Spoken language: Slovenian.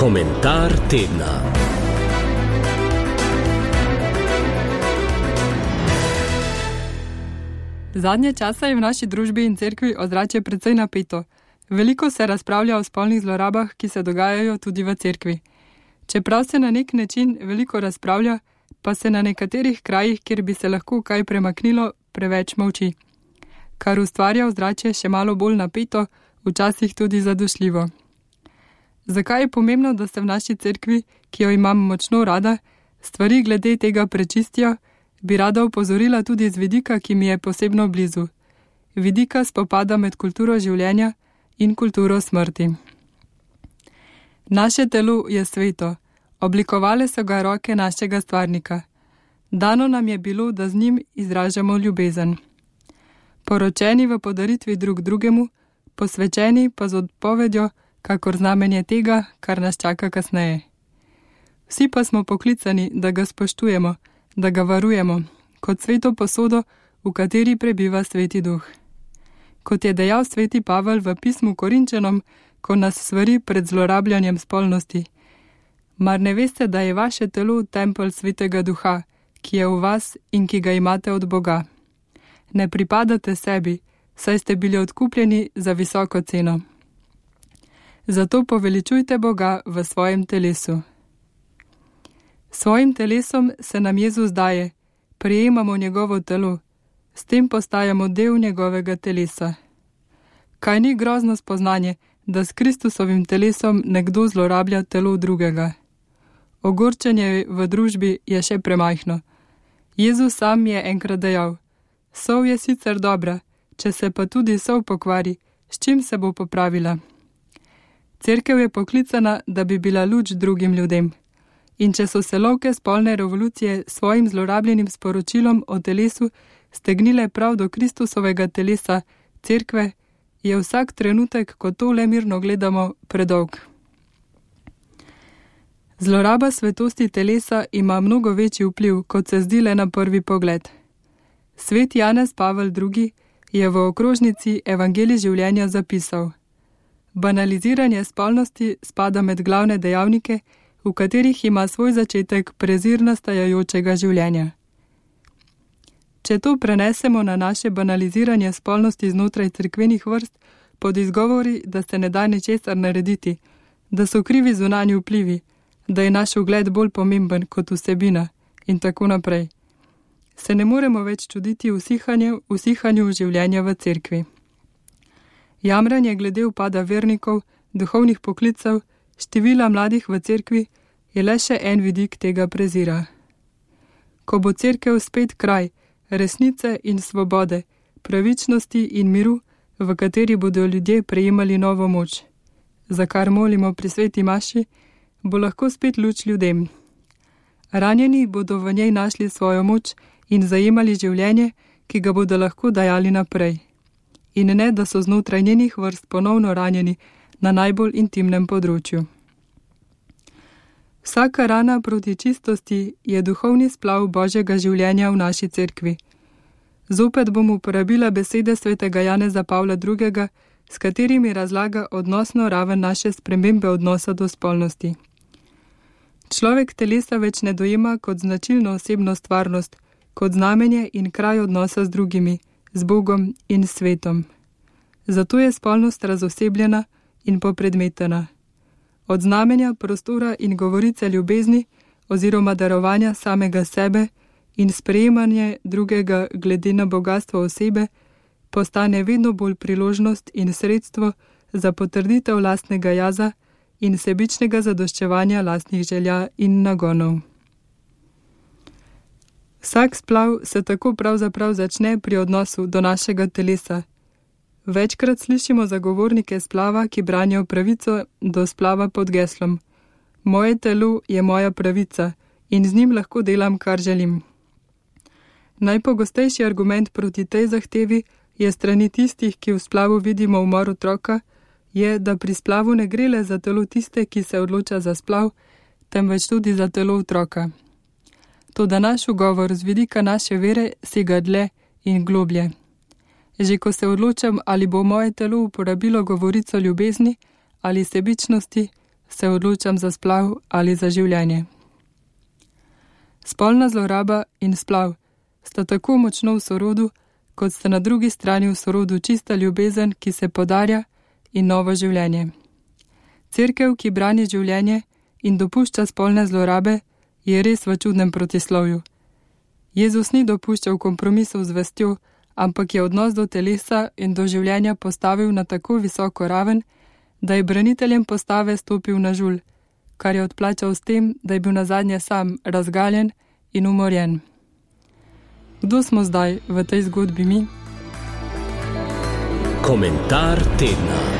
Komentar tedna. Zadnje časa je v naši družbi in cerkvi ozračje precej napeto. Veliko se razpravlja o spolnih zlorabah, ki se dogajajo tudi v cerkvi. Čeprav se na nek način veliko razpravlja, pa se na nekaterih krajih, kjer bi se lahko kaj premaknilo, preveč molči, kar ustvarja ozračje še malo bolj napeto, včasih tudi zadošljivo. Zakaj je pomembno, da se v naši cerkvi, ki jo imam močno rada, stvari glede tega prečistijo, bi rada opozorila tudi z vidika, ki mi je posebno blizu. Vidika spopada med kulturo življenja in kulturo smrti. Naše telo je sveto, oblikovale so ga roke našega stvarnika. Dano nam je bilo, da z njim izražamo ljubezen. Poročeni v podaritvi drug drugemu, posvečeni pa z odpovedjo, kakor znamenje tega, kar nas čaka kasneje. Vsi pa smo poklicani, da ga spoštujemo, da ga varujemo, kot sveto posodo, v kateri prebiva Sveti Duh. Kot je dejal sveti Pavel v pismu Korinčanom, ko nas svari pred zlorabljanjem spolnosti. Mar ne veste, da je vaše telo tempelj Svetega Duha, ki je v vas in ki ga imate od Boga? Ne pripadate sebi, saj ste bili odkupljeni za visoko ceno. Zato poveličujte Boga v svojem telesu. Svojim telesom se nam Jezus daje, prejemamo njegovo telo, s tem postajamo del njegovega telesa. Kaj ni grozno spoznanje, da s Kristusovim telesom nekdo zlorablja telo drugega? Ogorčenje v družbi je še premajhno. Jezus sam je enkrat dejal: sol je sicer dobra, če se pa tudi sol pokvari, s čim se bo popravila? Cerkev je poklicana, da bi bila luč drugim ljudem. In če so se lovke spolne revolucije s svojim zlorabljenim sporočilom o telesu stegnile prav do Kristusovega telesa, cerkve, je vsak trenutek, ko to le mirno gledamo, predolg. Zloraba svetosti telesa ima mnogo večji vpliv, kot se zdi le na prvi pogled. Svet Janez Pavel II. Je v okrožnici Evangelij življenja zapisal: banaliziranje spolnosti spada med glavne dejavnike, v katerih ima svoj začetek prezir nastajajočega življenja. Če to prenesemo na naše banaliziranje spolnosti znotraj cerkvenih vrst pod izgovori, da se ne da ničesar narediti, da so krivi zunanji vplivi, da je naš ugled bolj pomemben kot vsebina in tako naprej, se ne moremo več čuditi usihanju življenja v cerkvi. Jamranje glede upada vernikov, duhovnih poklicev, števila mladih v cerkvi je le še en vidik tega prezira. Ko bo cerkev spet kraj resnice in svobode, pravičnosti in miru, v kateri bodo ljudje prejemali novo moč, za kar molimo pri sveti maši, bo lahko spet luč ljudem. Ranjeni bodo v njej našli svojo moč in zajemali življenje, ki ga bodo lahko dajali naprej. In ne, da so znotraj njenih vrst ponovno ranjeni na najbolj intimnem področju. Vsaka rana proti čistosti je duhovni splav Božjega življenja v naši cerkvi. Zopet bom uporabila besede svetega Janeza Pavla II., s katerimi razlaga odnosno raven naše spremembe odnosa do spolnosti. Človek telesa več ne dojema kot značilno osebno stvarnost, kot znamenje in kraj odnosa z drugimi, z Bogom in svetom. Zato je spolnost razosebljena in popredmetena. Od znamenja, prostora in govorice ljubezni oziroma darovanja samega sebe in sprejemanje drugega glede na bogastvo osebe postane vedno bolj priložnost in sredstvo za potrditev lastnega jaza in sebičnega zadoščevanja lastnih želja in nagonov. Vsak splav se tako pravzaprav začne pri odnosu do našega telesa. Večkrat slišimo zagovornike splava, ki branijo pravico do splava pod geslom: moje telo je moja pravica in z njim lahko delam, kar želim. Najpogostejši argument proti tej zahtevi je strani tistih, ki v splavu vidimo umor otroka, je, da pri splavu ne gre le za telo tiste, ki se odloča za splav, temveč tudi za telo otroka. Toda naš ugovor z vidika naše vere sega dlje in globlje. Že ko se odločam, ali bo moje telo uporabilo govorico ljubezni ali sebičnosti, se odločam za splav ali za življenje. Spolna zloraba in splav sta tako močno v sorodu, kot sta na drugi strani v sorodu čista ljubezen, ki se podarja, in novo življenje. Cerkev, ki brani življenje in dopušča spolne zlorabe, je res v čudnem protislovju. Jezus ni dopuščal kompromisov z vestjo, ampak je odnos do telesa in do življenja postavil na tako visoko raven, da je braniteljem postave stopil na žulj, kar je odplačal s tem, da je bil nazadnje sam razgaljen in umorjen. Kdo smo zdaj v tej zgodbi mi? Komentar tedna.